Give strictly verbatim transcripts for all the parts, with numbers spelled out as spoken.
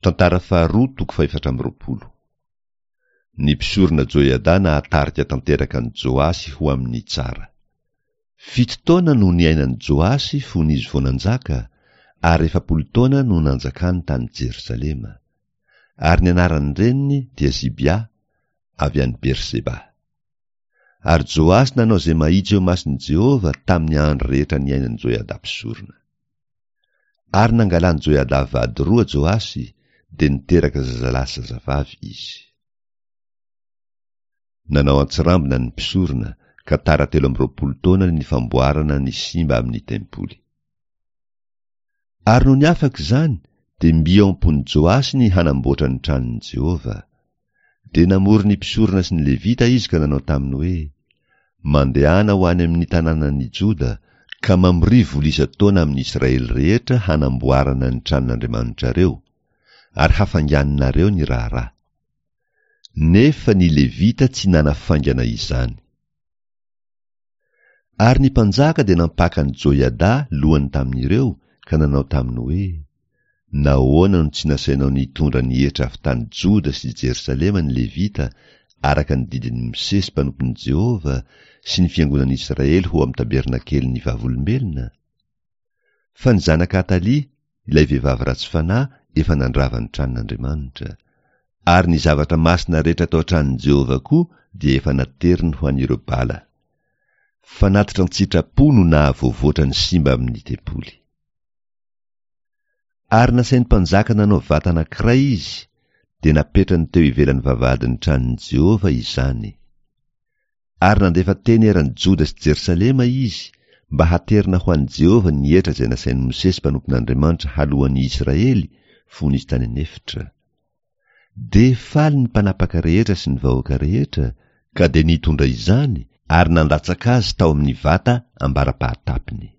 Tantara faharoa toko fahefatra amby roapolo. Ny mpisorona Joiada nahatarika tanteraka an'i Joasy ho amin'ny tsara. Fito taona no niainan'i Joasy fony izy vao nanjaka, ary efapolo taona no nanjakany tany Jerosalema. Ary ny anaran-dreniny dia Zibia, avy any Berseba. Ary Joasy nanao izay mahitsy eo imason'i Jehovah tamin'ny andro rehetra niainan'i Joiada mpisorona. Ary nangalan'i Joiada vady roa Joasy, dia niteraka zazalahy sy zazavavy izy. Nanao antsirambina ny mpisorona, ka tara telo amby roapolo taona ny famboarana ny simba amin'ny tempoly. Ary nony afaka izany, dia mby ao am-pon'i Joasy ny hanamboatra ny tranon'i Jehovah. Dia namory ny mpisorona sy ny Levita izy ka nanao taminy hoe, Mandehana ho any amin'ny tanànan'i Joda, ka mamoria vola isan-taona amin'ny Israely rehetra hanamboarana ny tranon'Andriamanitrareo, ary hafainganinareo ny raharaha. Nefa ny Levita tsy nanafaingana izany. Ary ny mpanjaka dia nampaka an'i Joiada lohany tamin'ireo ka nanao taminy hoe, Nahoana no tsy nasainao nitondra ny hetra avy tany Joda sy Jerosalema ny Levita araka ny didin'i Mosesy mpanompon'i Jehovah sy ny fiangonan'Israely ho amin'ny tabernakelin'ny Vavolombelona? Fa ny zanak'i Atalia, ilay vehivavy ratsy fanahy, efa nandrava ny tranon'Andriamanitra. Ary ny zavatra masina rehetra tao an-tranon'i Jehovah koa dia efa nateriny ho an'ireo Bala. Fanatitra an-tsitrapo no nahavoavoatra ny simba amin'ny tempoly. Ary nasain'ny mpanjaka nanao vata anankiray izy, dia napetrany teo ivelan'ny vavahadin'ny tranon'i Jehovah izany. Ary nandefa teny eran'i Joda sy Jerosalema izy, mba haterina ho an'i Jehovah ny hetra izay nasain'i Mosesy mpanompon'Andriamanitra haloan'ny Israely fony izy tany an'efitra. Dia faly ny mpanapaka rehetra sy ny vahoaka rehetra, ka dia nitondra izany ary nandatsaka azy tao amin'ny vata ambara-pahatapiny.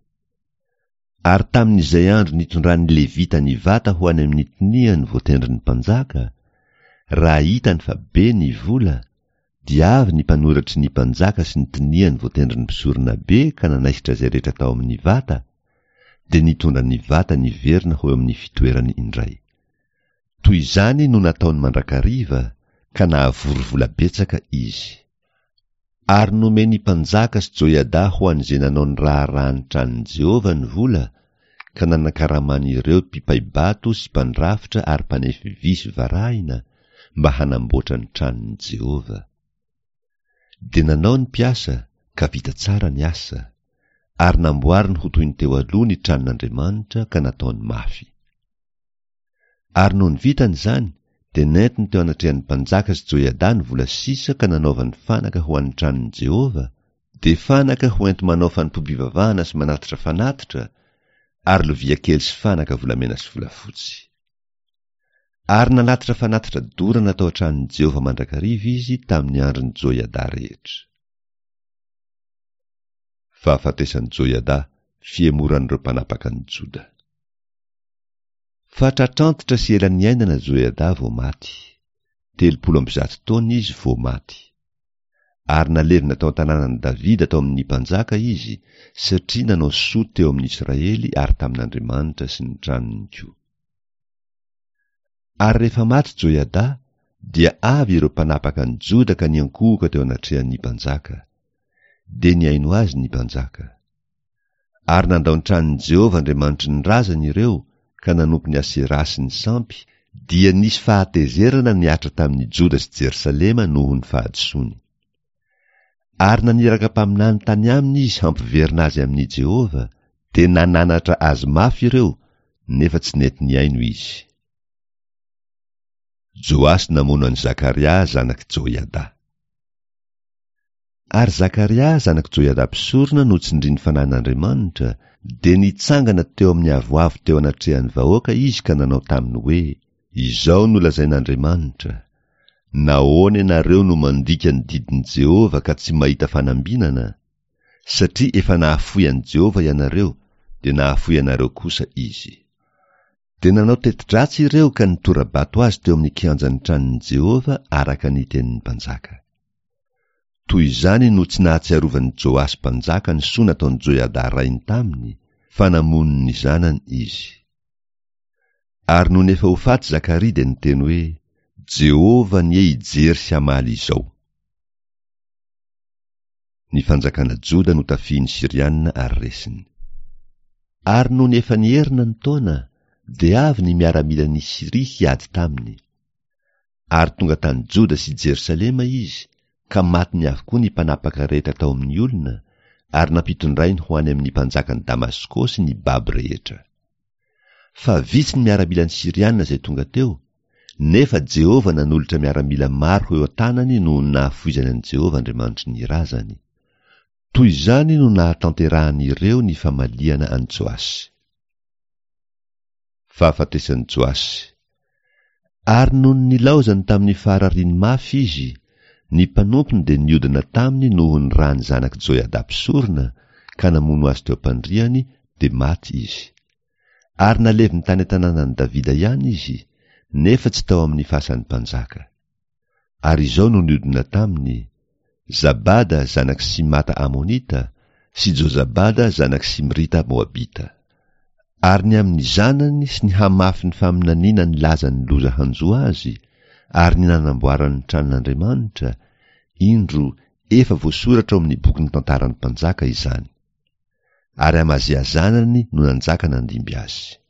Ary tamin'izay andro nitondran'ny Levita ny vata ho any amin'ny toniany voatendrin'ny mpanjaka, raha hitany fa be ny vola, dia avy ny mpanoratry ny mpanjaka sy ny toniany voatendrin'ny mpisoronabe ka nanaisotra izay rehetra tao amin'ny vata, dia nitondra ny vata niverina ho eo amin'ny fitoerany indray. Toy izany no nataony mandrakariva, ka nahavory vola betsaka izy. Ary nomen'ny mpanjaka sy Joiada ho an'izay nanao ny raharahan'ny tranon'i Jehovah ny vola, ka nanakaraman'ireo mpipai-bato sy mpandrafitra ary mpanefy vy sy varahina, mba hanamboatra ny tranon'i Jehovah. Dia nanao ny mpiasa, ka vita tsara ny asa. Ary namboariny ho toy ny teo aloha ny tranon'Andriamanitra ka nataony mafy. Ary nony vitany izany, dia nentiny teo anatrehan'ny mpanjaka sy Joiada ny vola sisa ka nanaovany fanaka ho an'ny tranon'i Jehovah, dia fanaka ho enti-manao fanompoam-pivavahana sy manatitra fanatitra, ary lovia kely sy fanaka volamena sy volafotsy. Ary nanatitra fanatitra dorana tao an-tranon'i Jehovah mandrakariva izy tamin'ny andron'i Joiada rehetra. Fahafatesan'i Joiada, fihemoran'ireo mpanapaka an'i Joda. Fa tratrantitra sy ela niainana Joiada vao maty. Telopolo amby zato taona izy vao maty. Ary nalevina tao an-tanànan'i Davida tao amin'ny mpanjaka izy, satria nanao soa teo amin'ny Israely ary tamin'Andriamanitra sy ny tranony koa. Ary rehefa maty Joiada, dia avy ireo mpanapaka an'i Joda ka niankohoka teo anatrehan'ny mpanjaka. Dia nihaino azy ny mpanjaka. Ary nandao ny tranon'i Jehovah Andriamanitry ny razany ireo ka nanompo ny Aseraha sy ny sampy, dia nisy fahatezerana nihatra tamin'i Joda sy Jerosalema noho ny fahadisoany. Ary naniraka mpaminany tany aminy izy hampiverina azy amin'i Jehovah, dia nananatra azy mafy ireo, nefa tsy nety nihaino izy. Joasy namono an'i Zakaria zanak'i Joiada. Ary Zakaria zanak'i Joiada mpisorona notsindrin'ny Fanahin'Andriamanitra, dia nitsangana teo amin'ny avoavo teo anatrehan'ny vahoaka izy ka nanao taminy hoe, Izao no lazain'Andriamanitra, Nahoana ianareo no mandika ny didin'i Jehovah ka tsy mahita fanambinana? Satria efa nahafoy an'i Jehovah ianareo, dia nahafoy anareo kosa Izy. Dia nanao teti-dratsy ireo ka nitora-bato azy teo amin'ny kianjan'ny tranon'i Jehovah araka ny tenin'ny mpanjaka. Toy izany no tsy nahatsiarovan'i Joasy mpanjaka ny soa nataon'i Joiada rainy taminy, fa namono ny zanany izy. Ary nony efa ho faty Zakaria dia niteny hoe, Jehovah anie hijery sy hamaly izao. Ny fanjakana Joda notafihin'ny Syriana ary resiny. Ary nony efa niherina ny taona, dia avy ny miaramilan'i Syria hiady taminy. Ary tonga tany Joda sy Jerosalema izy, ka matiny avokoa ny mpanapaka rehetra tao amin'ny olona, ary nampitondrainy ho any amin'ny mpanjakan'i Damaskosy ny babo rehetra. Fa vitsy ny miaramilan'ny Syriana izay tonga teo, nefa Jehovah nanolotra miaramila maro ho eo an-tanany noho ny nahafoizany an'i Jehovah Andriamanitry ny razany. Toy izany no nahatanterahan'ireo ny famaliana an'i Joasy. Fahafatesan'i Joasy. Ary nony nilaozany tamin'ny faharariany mafy izy, ny mpanompony dia niodina taminy noho ny ran'ny zanak'i Joiada mpisorona, ka namono azy teo am-pandriany, dia maty izy. Ary naleviny tany an-tanànan'i Davida ihany izy, nefa tsy tao amin'ny fasan'ny mpanjaka. Ary izao no niodina taminy, Zabada zanak'i Simata Amonita, sy Jozabada zanak'i Simrita Moabita. Ary ny amin'ny zanany sy ny hamafin'ny faminaniana nilaza ny loza hanjo azy, ary ny nanamboarany ny tranon'Andriamanitra, indro, efa voasoratra ao amin'ny bokin'ny tantaran'ny mpanjaka izany. Ary Amazia zanany no nanjaka nandimby azy.